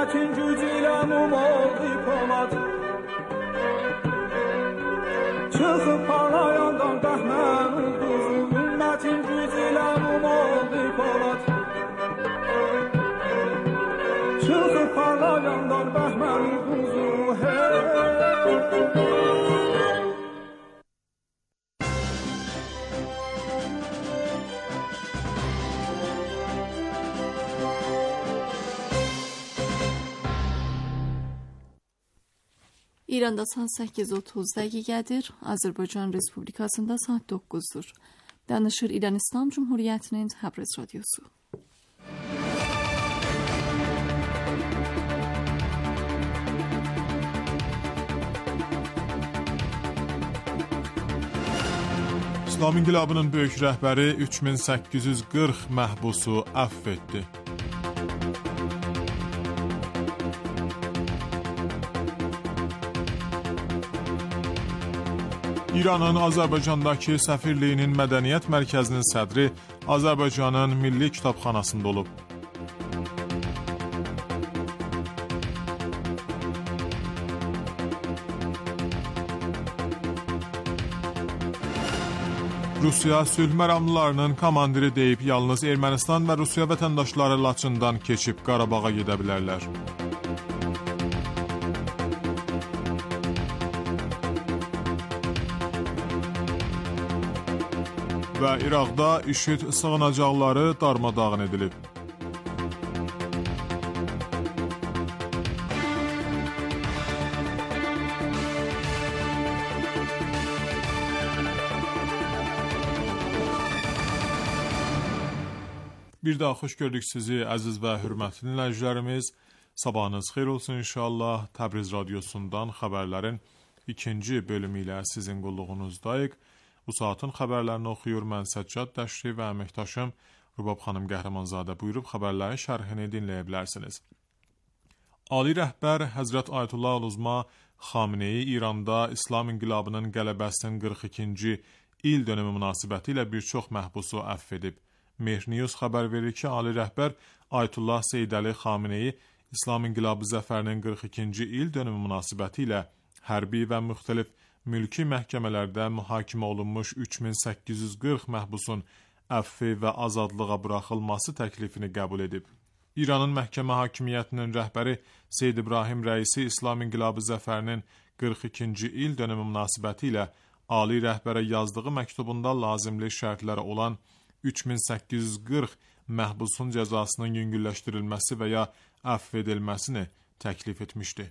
ümmətin gücü ilə oldu Polad. Çıxıb parlayandan bəhmən ulduzu, ümmətin gücü ilə oldu Polad. Çıxıb parlayandan bəhmən ulduzu, İranda saat 8:30 dəqiqədir, Azərbaycan Respublikasında saat 9-dur. Danışır İran İslam Cumhuriyyətinin Təbriz radiosu. İslam İnqilabının böyük rəhbəri 3840 məhbusu əfv etdi. İranın Azərbaycandakı səfirliyinin mədəniyyət mərkəzinin sədri Azərbaycanın Milli Kitabxanasında olub. Rusiya sülh məramlılarının komandiri deyib yalnız Ermənistan və Rusiya vətəndaşları Laçından keçib Qarabağa gedə bilərlər. Və İraqda IŞİD sığınacaqları darmadağın edilib. Bir daha xoş gördük sizi əziz və hörmətli dinləyicilərimiz. Sabahınız xeyir olsun inşallah. Təbriz radiosundan xəbərlərin ikinci bölümü ilə sizin qulluğunuzdayıq. Bu saatın xəbərlərini oxuyur mən Səccad Dəşri və əməkdaşım Rubab xanım Qəhrəmanzadə buyurub xəbərlərin şərhini dinləyə bilərsiniz. Ali rəhbər Həzrət Ayətullah Uzma Xameneyi İranda İslam İnqilabının qələbəsinin 42-ci il dönümü münasibəti ilə bir çox məhbusu əfv edib. Mehr News xəbər verir ki, Ali rəhbər Ayətullah Seyyid Əli Xameneyi İslam İnqilabı zəfərinin 42-ci il dönümü münasibəti ilə hərbi və müxtəlif mülki məhkəmələrdə mühakimə olunmuş 3840 məhbusun əfvi və azadlığa buraxılması təklifini qəbul edib. İranın məhkəmə hakimiyyətinin rəhbəri Seyyid İbrahim Rəisi İslam İnqilabı zəfərinin 42-ci il dönümü münasibəti ilə Ali rəhbərə yazdığı məktubunda lazımlı şərtlərə olan 3840 məhbusun cəzasının yüngülləşdirilməsi və ya əfv edilməsini təklif etmişdi.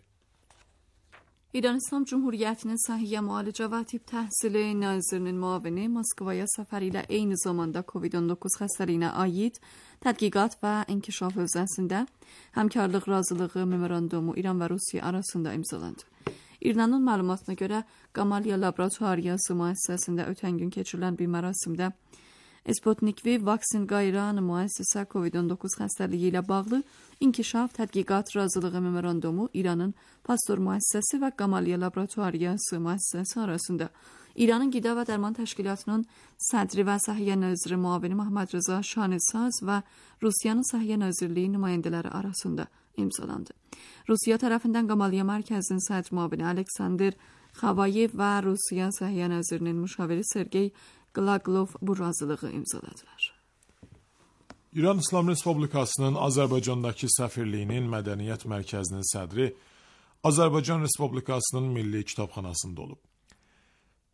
İran İslam Cumhuriyyətinin Səhiyyə Müalicə və Tibb Təhsili Nazirinin müavini Moskvaya səfəri ilə eyni zamanda COVID-19 xəstəliyinə aid tədqiqat və inkişaf hövzəsində həmkarlıq razılığı memorandumu İran və Rusiya arasında imzalandı. İranın məlumatına görə Qamalya Laboratoriyası müəssisəsində ötən gün keçirilən bir mərasimdə Sputnik V vaksin qayıran müəssisə COVID-19 xəstəliyi ilə bağlı inkişaf tədqiqat razılığı memorandumu İranın Pasteur müəssisəsi və Qamalya Laboratoriyası müəssisəsi arasında İranın Qida və Dərman Təşkilatının sədri və Səhiyyə Naziri müavini Məhəmməd Rıza Şanısaz və Rusiyanın Səhiyyə Nazirliyi nümayəndələri arasında imzalandı. Rusiya tərəfindən Qamalya mərkəzinin sədri müavini Aleksandr Xavayev və Rusiya Səhiyyə Nazirinin müşaviri Sergey Qlaqlov bu razılığı imzaladılar. İran İslam Respublikasının Azərbaycandakı səfirliyinin mədəniyyət mərkəzinin sədri Azərbaycan Respublikasının Milli Kitabxanasında olub.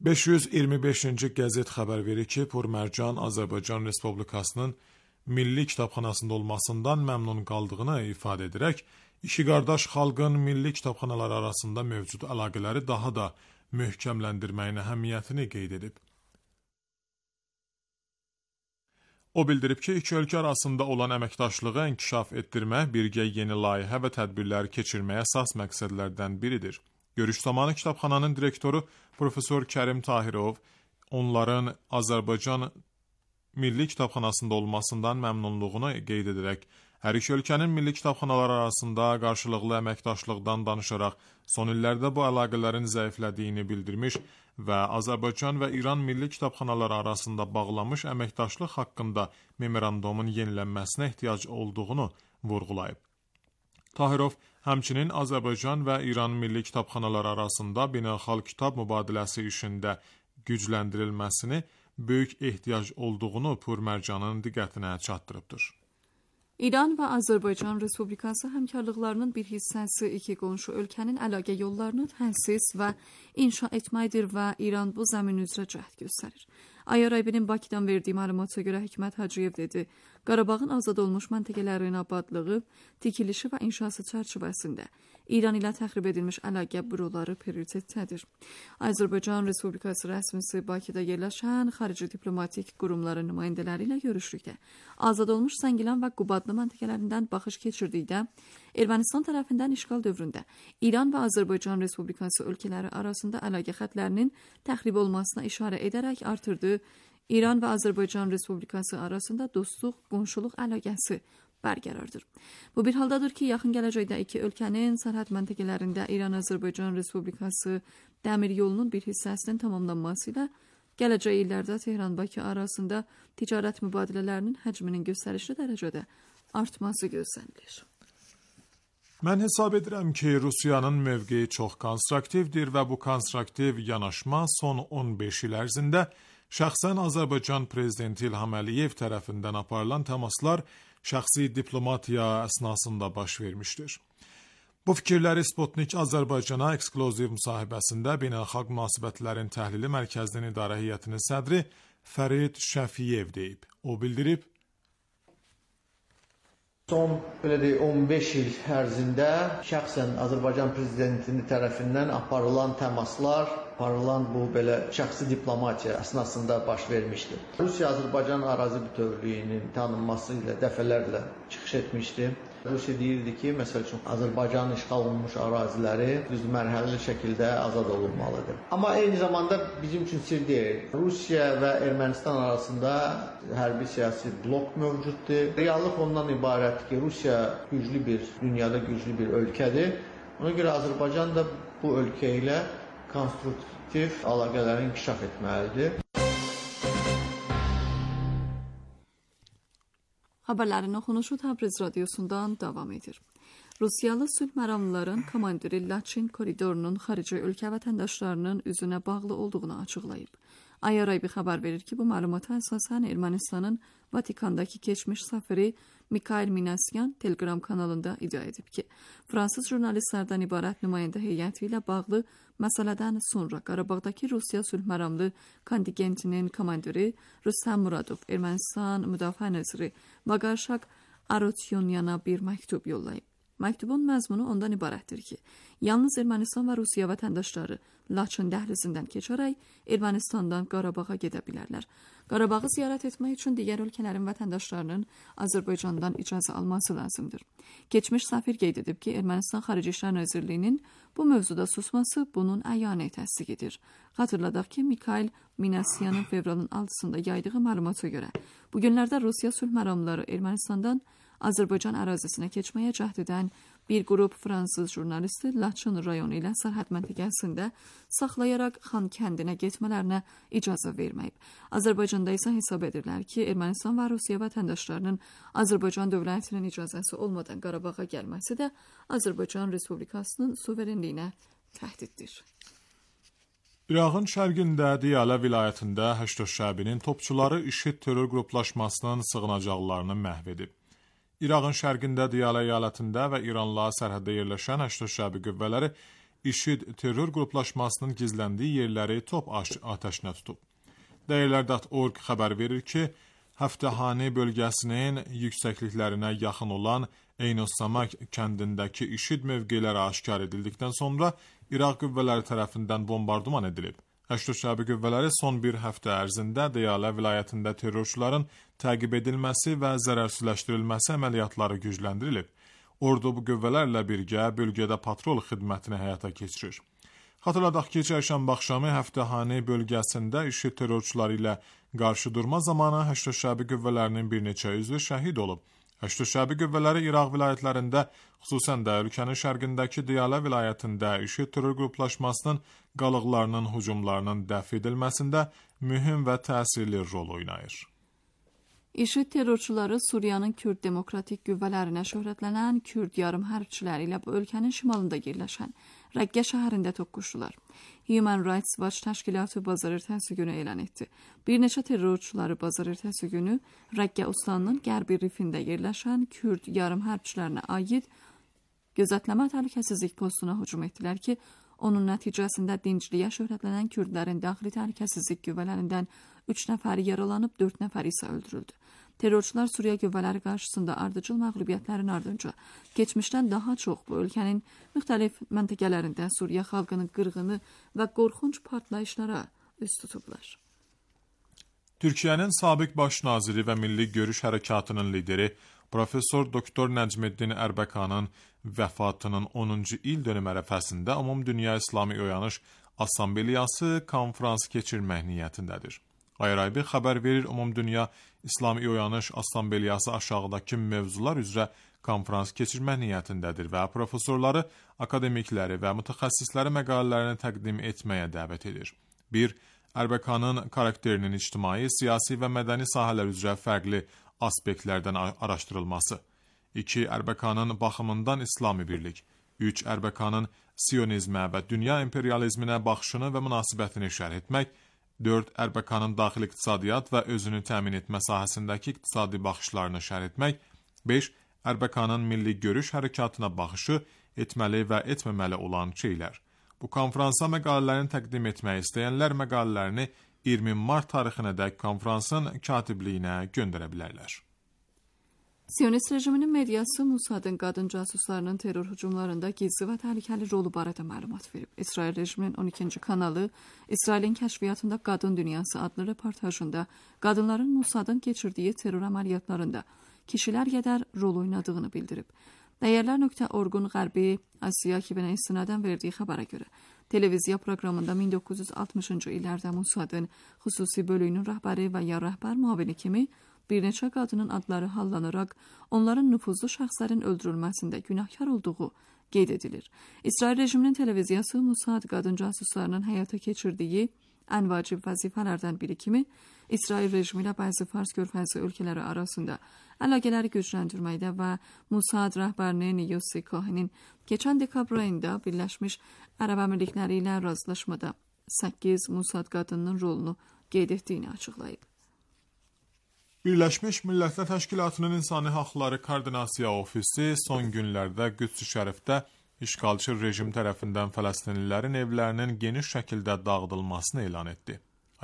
525-ci qəzet xəbər verir ki, Pur Mərcan Azərbaycan Respublikasının Milli Kitabxanasında olmasından məmnun qaldığını ifadə edərək, iki qardaş xalqın milli kitabxanalar arasında mövcud əlaqələri daha da möhkəmləndirməyin əhəmiyyətini qeyd edib. O bildirib ki, iki ölkə arasında olan əməkdaşlığı inkişaf etdirmə, birgə yeni layihə və tədbirlər keçirməyə əsas məqsədlərdən biridir. Görüş zamanı kitabxananın direktoru Profesor Kərim Tahirov onların Azərbaycan Milli Kitabxanasında olmasından məmnunluğunu qeyd edərək, hər iki ölkənin milli kitabxanaları arasında qarşılıqlı əməkdaşlıqdan danışaraq son illərdə bu əlaqələrin zəiflədiyini bildirmiş və Azərbaycan və İran milli kitabxanaları arasında bağlanmış əməkdaşlıq haqqında memorandumun yenilənməsinə ehtiyac olduğunu vurğulayıb. Tahirov həmçinin Azərbaycan və İran milli kitabxanaları arasında beynəlxalq kitab mübadiləsi işində gücləndirilməsini böyük ehtiyac olduğunu Purmərcanın diqqətinə çatdırıbdır. İran və Azərbaycan Respublikası həmkarlıqlarının bir hissəsi iki qonşu ölkənin əlaqə yollarını təsis və inşa etməkdir və İran bu zəmin üzrə cəhd göstərir. IRIB-nin Bakıdan verdiyi məlumata görə Hikmət Hacıyev dedi, Qarabağın azad olmuş məntəqələrin abadlığı, tikilişi və inşası çərçivəsində İran ilə təxrib edilmiş əlaqə büroları prioritetdədir. Azərbaycan Respublikası rəsmisi Bakıda yerləşən xarici diplomatik qurumların nümayəndələri ilə görüşdükdə azad olmuş Zəngilan və Qubadlı məntəqələrindən baxış keçirdikdə Ermənistan tərəfindən işğal dövründə İran və Azərbaycan Respublikası ölkələri arasında əlaqə xətlərinin təxrib olmasına işarə edərək artırdı. İran və Azərbaycan Respublikası arasında dostluq, qonşuluq əlaqəsi bərqərardır. Bu bir haldadır ki, yaxın gələcəkdə iki ölkənin sərhəd məntəqələrində İran-Azərbaycan Respublikası dəmir yolunun bir hissəsinin tamamlanması ilə gələcək illərdə Tehran-Bakı arasında ticarət mübadilələrinin həcminin göstərişli dərəcədə artması gözlənilir. Mən hesab edirəm ki, Rusiyanın mövqeyi çox konstruktivdir və bu konstruktiv yanaşma son 15 il ərzində şəxsən Azərbaycan prezidenti İlham Əliyev tərəfindən aparılan təmaslar şəxsi diplomatiya əsnasında baş vermişdir. Bu fikirləri Sputnik Azərbaycana eksklüziv müsahibəsində Beynəlxalq Münasibətlərin Təhlili Mərkəzinin İdarə Heyətinin sədri Fərid Şəfiyev deyib. O bildirib, son 15 il ərzində şəxsən Azərbaycan prezidentinin tərəfindən aparılan təmaslar, aparılan bu şəxsi diplomatiya əsnasında baş vermişdir. Rusiya-Azərbaycan ərazi bütövlüyünün tanınması ilə dəfələrlə çıxış etmişdi. Rusiya deyirdi ki, məsəl üçün Azərbaycanın işğal olunmuş əraziləri düzmərhələli şəkildə azad olunmalıdır. Amma eyni zamanda bizim üçün sir deyil. Rusiya və Ermənistan arasında hərbi siyasi blok mövcuddur. Reallıq ondan ibarətdir ki, Rusiya dünyada güclü bir ölkədir. Ona görə Azərbaycan da bu ölkə ilə konstruktiv əlaqələri inkişaf etməlidir. Xəbərlərin oxunuşu Təbriz radiosundan davam edir. Rusiyalı sülh məramlıların komandiri Laçin koridorunun xarici ölkə vətəndaşlarının üzünə bağlı olduğunu açıqlayıb. IRIB xəbər verir ki, bu məlumata əsasən Ermənistanın Vatikandakı keçmiş səfiri Mikhail Minasyan Telegram kanalında iddia edib ki, fransız jurnalistlərdən ibarət nümayəndə heyəti ilə bağlı məsələdən sonra Qarabağdakı Rusiya sülh məramlı kontingentinin komandiri Rüstəm Muradov Ermənistan Müdafiə Naziri Vaqarşaq Arotyonyana bir məktub yollayıb. Məktubun məzmunu ondan ibarətdir ki, yalnız Ermənistan və Rusiya vətəndaşları Laçın dəhlizindən keçərək Ermənistandan Qarabağa gedə bilərlər. Qarabağı ziyarət etmək üçün digər ölkələrin vətəndaşlarının Azərbaycandan icazə alması lazımdır. Keçmiş səfir qeyd edib ki, Ermənistan Xarici İşlər Nazirliyinin bu mövzuda susması bunun əyanə təsdiq edir. Xatırladaq ki, Mikhail Minasyanın fevralın 6-sında yaydığı məlumata görə, bu günlərdə Rusiya sülh məramlıları Ermənistandan Azərbaycan ərazisinə keçməyə cəhd edən bir qrup fransız jurnalisti Laçın rayonu ilə sərhəd məntəqəsində saxlayaraq Xan kəndinə getmələrinə icazə verməyib. Azərbaycanda isə hesab edirlər ki, Ermənistan və Rusiya vətəndaşlarının Azərbaycan dövlətinin icazəsi olmadan Qarabağa gəlməsi də Azərbaycan Respublikasının suverenliyinə təhdiddir. İraqın şərqində Diyala vilayətində Həşd şəbinin topçuları IŞİD terror qruplaşmasının sığınacaqlarını məhv edib. İraqın şərqində Diyala əyalətində və İranla sərhəddə yerləşən Həşd şəbi qüvvələri IŞİD terror qruplaşmasının gizləndiyi yerləri top atəşinə tutub. Dəyərlər.org xəbər verir ki, Həftəhani bölgəsinin yüksəkliklərinə yaxın olan Eynusamak kəndindəki IŞİD mövqeləri aşkar edildikdən sonra İraq qüvvələri tərəfindən bombardıman edilib. Həşd şəbi qüvvələri son bir həftə ərzində Diyala vilayətində terrorçuların təqib edilməsi və zərərsizləşdirilməsi əməliyyatları gücləndirilib. Ordu bu qüvvələrlə birgə bölgədə patrol xidmətini həyata keçirir. Xatırladaq ki, çərşənbə axşamı Həftəhani bölgəsində IŞİD terrorçuları ilə qarşı durma zamanı Həşd şəbi qüvvələrinin bir neçə üzvü şəhid olub. Həşd şəbi qüvvələri İraq vilayətlərində, xüsusən də ölkənin şərqindəki Diyala vilayətində IŞİD terror qruplaşmasının qalıqlarının hücumlarının dəf edilməsində mühüm və təsirli rol oynayır. IŞİD terrorçuları Suriyanın Kürd Demokratik Qüvvələrinə şöhrətlənən Kürd yarım hərbçiləri ilə bu ölkənin şimalında yerləşən Rəqqə şəhərində toqquşdular. Human Rights Watch təşkilatı bazar ertəsi günü elan etdi. Bir neçə terrorçuları bazar ertəsi günü Rəqqə Ustanının qərbi rifində yerləşən Kürd yarım hərbçilərinə aid gözətləmə təhlükəsizlik postuna hücum etdilər ki, onun nəticəsində dincliyə şöhrətlənən Kürdlərin daxili təhlükəsizlik qüvvələrindən 3 nəfəri yaralanıb, 4 nəfəri isə öldürüldü. Terrorçular Suriya qüvvələri qarşısında ardıcıl məğlubiyyətlərin ardınca keçmişdən daha çox bu ölkənin müxtəlif məntəqələrində Suriya xalqının qırğını və qorxunc partlayışlara üz tutublar. Türkiyənin sabiq baş naziri və Milli Görüş Hərəkatının lideri Profesor Doktor Nəcməddin Ərbəkanın vəfatının 10-cu il dönüm ərəfəsində Ümumdünya İslami Oyanış Assambleyası konfrans keçirmək niyyətindədir. Ayraybi xəbər verir, Ümumdünya İslami Oyanış Assambleyası aşağıdakı mövzular üzrə konfrans keçirmək niyyətindədir və professorları, akademikləri və mütəxəssisləri məqalələrini təqdim etməyə dəvət edir. 1. Ərbəkanın karakterinin ictimai, siyasi və mədəni sahələr üzrə fərqli aspektlərdən araşdırılması. 2. Ərbəkanın baxımından İslami birlik. 3. Ərbəkanın siyonizmə və dünya imperializminə baxışını və münasibətini şərh etmək. 4. Ərbəkanın daxili iqtisadiyyat və özünü təmin etmə sahəsindəki iqtisadi baxışlarını şərh etmək. 5. Ərbəkanın milli görüş hərəkatına baxışı, etməli və etməməli olan şeylər. Bu konfransa məqalələrini təqdim etmək istəyənlər məqalələrini 20 mart tarixinədək konfransın katibliyinə göndərə bilərlər. Siyonist rejiminin mediası Musadın qadın casuslarının terror hücumlarında gizli və təhlükəli rolu barədə məlumat verib. İsrail rejiminin 12-ci kanalı İsrailin kəşfiyyatında Qadın Dünyası adlı reportajında qadınların Musadın keçirdiyi terror əməliyyatlarında kişilər qədər rol oynadığını bildirib. Dəyərlər.org-un Qərbi Asiya ekibinə istinadən verdiyi xəbərə görə, televiziya proqramında 1960-cı illərdə Musadın xüsusi bölüyünün rəhbəri və ya rəhbər müavini kimi bir neçə qadının adları hallanaraq onların nüfuzlu şəxslərin öldürülməsində günahkar olduğu qeyd edilir. İsrail rejiminin televiziyası Musad qadın casuslarının həyata keçirdiyi ən vacib vəzifələrdən biri kimi İsrail rejimi ilə bəzi Fars körfəzi ölkələri arasında əlaqələri gücləndirməkdə və Musad rəhbərinin Yossi Cohen'in keçən dekabr ayında Birləşmiş Ərəb Əmirlikləri ilə razılaşmada 8 Musad qadınının rolunu qeyd etdiyini açıqlayıb. Birləşmiş Millətlər Təşkilatının İnsani Haqları Koordinasiya Ofisi son günlərdə Qüds-i Şərifdə işğalçı rejim tərəfindən fələstinlilərin evlərinin geniş şəkildə dağıdılmasını elan etdi.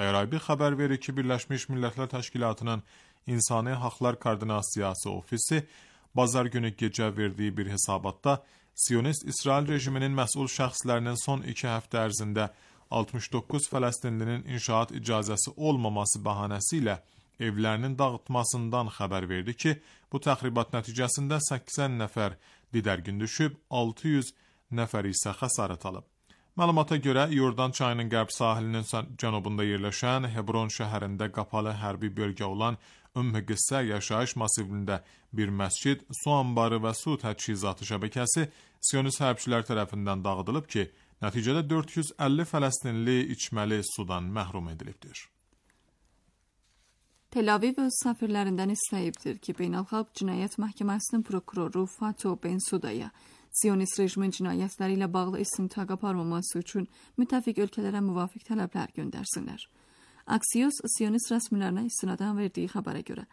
Ayraybi xəbər verir ki, Birləşmiş Millətlər Təşkilatının İnsani Haqlar Koordinasiyası Ofisi bazar günü gecə verdiyi bir hesabatda Siyonist İsrail rejiminin məsul şəxslərinin son 2 həftə ərzində 69 fələstinlinin inşaat icazəsi olmaması bəhanəsi ilə evlərinin dağıtmasından xəbər verdi ki, bu təxribat nəticəsində 80 nəfər didərgin düşüb, 600 nəfər isə xəsarət alıb. Məlumata görə, Yordan çayının qərb sahilinin cənubunda yerləşən Hebron şəhərində qapalı hərbi bölgə olan Ümmü Qıssə yaşayış masivində bir məscid, su anbarı və su təchizatı şəbəkəsi Siyonist hərbçilər tərəfindən dağıdılıb ki, nəticədə 450 fələstinli içməli sudan məhrum edilibdir. Tel Aviv öz səfirlərindən istəyibdir ki, Beynəlxalq Cinayət Məhkəməsinin prokuroru Fato Bensudaya Siyonist rejimin cinayətləri ilə bağlı istintaq aparmaması üçün müttəfiq ölkələrə müvafiq tələblər göndərsinlər. Axios Siyonist rəsmilərinə istinadən verdiyi xəbərə görə,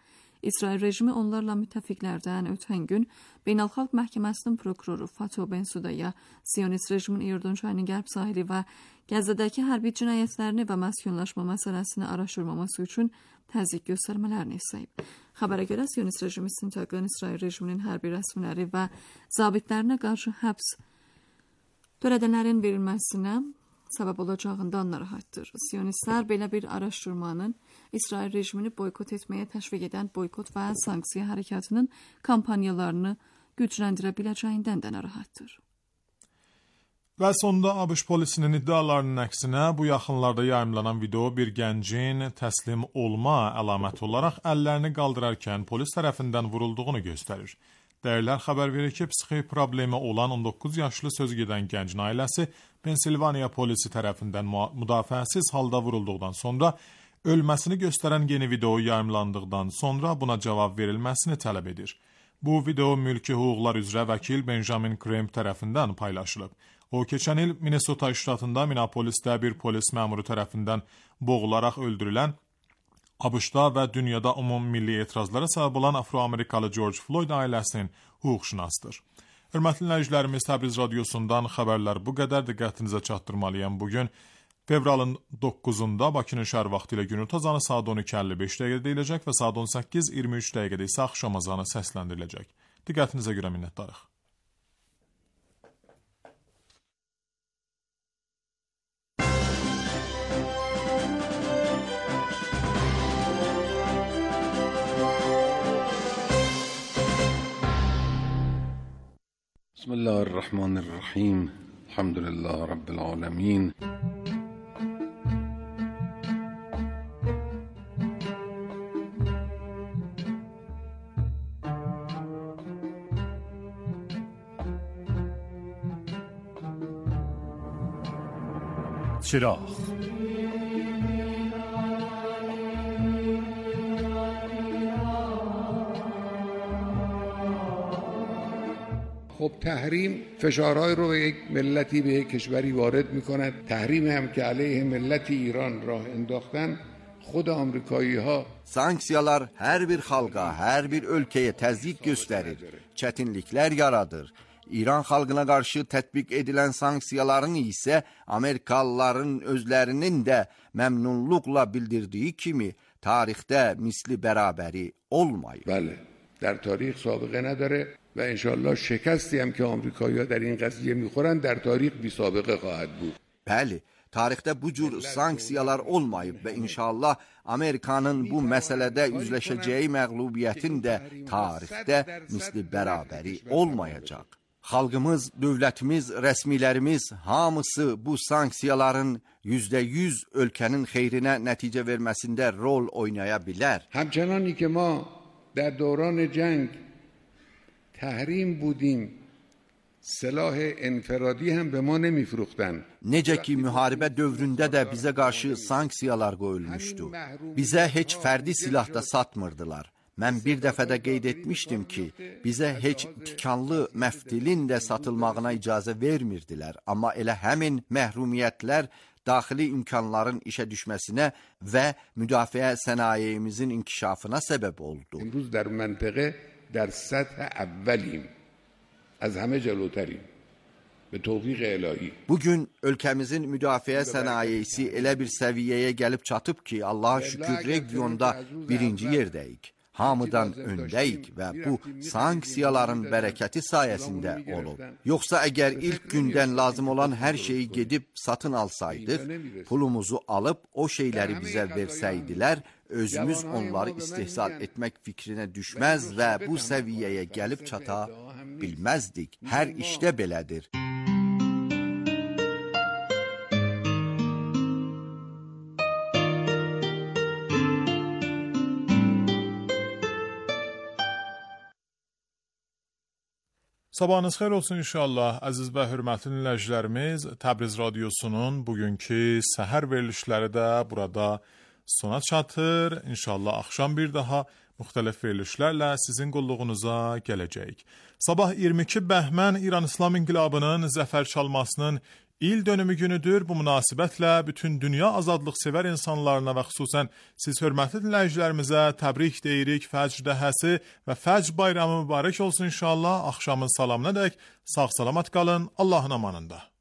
İsrail rejimi onlarla müttəfiqlərdən ötən gün Beynəlxalq Məhkəməsinin prokuroru Fato Bensudaya Siyonist rejimin İordan çayının qərb sahili və Qəzzədəki hərbi cinayətlərini və məskunlaşma məsələsini araşdırmaması üçün təzyiq göstərmələrini istəyib. Xəbərə görə Siyonist rejimi istintaqın İsrail rejiminin hərbi rəsmiləri və zabitlərinə qarşı həbs törədənlərin verilməsinə səbəb olacağından narahatdır. Siyonistlər belə bir araşdırmanın İsrail rejimini boykot etməyə təşviq edən boykot və sanksiya hərəkatının kampanyalarını gücləndirə biləcəyindən də narahatdır. Və sonda ABŞ polisinin iddialarının əksinə bu yaxınlarda yayımlanan video bir gəncin təslim olma əlaməti olaraq əllərini qaldırarkən polis tərəfindən vurulduğunu göstərir. Dəyərlər xəbər verir ki, psixi problemi olan 19 yaşlı sözügedən gəncin ailəsi Pensilvaniya polisi tərəfindən müdafiəsiz halda vurulduqdan sonra ölməsini göstərən yeni video yayımlandıqdan sonra buna cavab verilməsini tələb edir. Bu video mülki hüquqlar üzrə vəkil Benjamin Crump tərəfindən paylaşılıb. O, keçən il Minnesota ştatında Minneapolisdə bir polis məmuru tərəfindən boğularaq öldürülən, ABŞ-da və dünyada ümumilli etirazlara səbəb olan Afro-Amerikalı George Floyd ailəsinin hüquqşünasıdır. Hörmətli dinləyicilərimiz, Təbriz radiosundan xəbərlər bu qədər, diqqətinizə çatdırmalıyam. Bugün fevralın 9-da Bakının şəhər vaxtı ilə günorta azanı saat 12:55 dəqiqədə deyiləcək və saat 18:23 dəqiqədə isə axşam azanı səsləndiriləcək. Diqqətinizə görə minnətdarıq. بسم الله الرحمن الرحیم الحمد لله رب العالمین چراغ خب تحریم فشارهای رو به یک ملتی به یک کشوری وارد می‌کند. تحریم هم که علیه ملت ایران راه انداختن خود آمریکایی‌ها Sanksiyalar hər bir xalqa, hər bir ölkəyə təzyiq göstərir, çətinliklər yaradır. İran xalqına qarşı tətbiq edilən sanksiyaların isə Amerikalıların özlərinin də məmnunluqla bildirdiyi kimi tarixdə misli bərabəri olmayıb. بله در تاریخ سابقه نداره و انشالله شکستی هم که آمریکایی‌ها در این قضیه می‌خورن در تاریخ بی سابقه خواهد بود. Bəli, tarixdə bu cür sanksiyalar olmayıb və inşallah Amerikanın bu məsələdə üzləşəcəyi məğlubiyyətin də tarixdə misli bərabəri olmayacaq. Xalqımız, dövlətimiz, rəsmilərimiz hamısı bu sanksiyaların %100 ölkənin xeyrinə nəticə verməsində rol oynaya bilər. همچنانی که ما در دوران جنگ تحریم بودیم silah enferadi هم به ما نمیفروختن. Necə ki, müharibə dövründə də bizə qarşı sanksiyalar qoyulmuşdu. Bizə heç fərdi silah da satmırdılar. Mən bir dəfə də qeyd etmişdim ki, bizə heç tikanlı məftilin də satılmağına icazə vermirdilər. Amma elə həmin məhrumiyyətlər daxili imkanların işə düşməsinə və müdafiə sənayemizin inkişafına səbəb oldu. امروز در منطقه در سطح اولیم. از همه جلوتریم. به توفیق الهی. Bugün ölkəmizin müdafiə sənayesi elə bir səviyyəyə gəlib çatıb ki, Allaha şükür regionda birinci yerdəyik. Hamıdan öndəyik və bu sanksiyaların bərəkəti sayəsində olub. Yoxsa əgər ilk gündən lazım olan hər şeyi gedib satın alsaydıq, pulumuzu alıb o şeyləri bizə versəydilər, özümüz onları istehsal etmək fikrinə düşməz və bu səviyyəyə gəlib çata bilməzdik. Hər işdə belədir. Sabahınız xeyir olsun inşallah. Əziz və hörmətli dinləyicilərimiz, Təbriz radiosunun bugünkü səhər verilişləri də burada sona çatır. İnşallah axşam bir daha müxtəlif verilişlərlə sizin qulluğunuza gələcəyik. Sabah 22 bəhmən İran İslam İnqilabının zəfər çalmasının il dönümü günüdür. Bu münasibətlə bütün dünya azadlıq sevər insanlarına və xüsusən siz hörmətli dinləyicilərimizə təbrik deyirik. Fəcr dəhəsi və Fəcr bayramı mübarək olsun inşallah. Axşamın salamına dək sağ salamat qalın. Allahın amanında.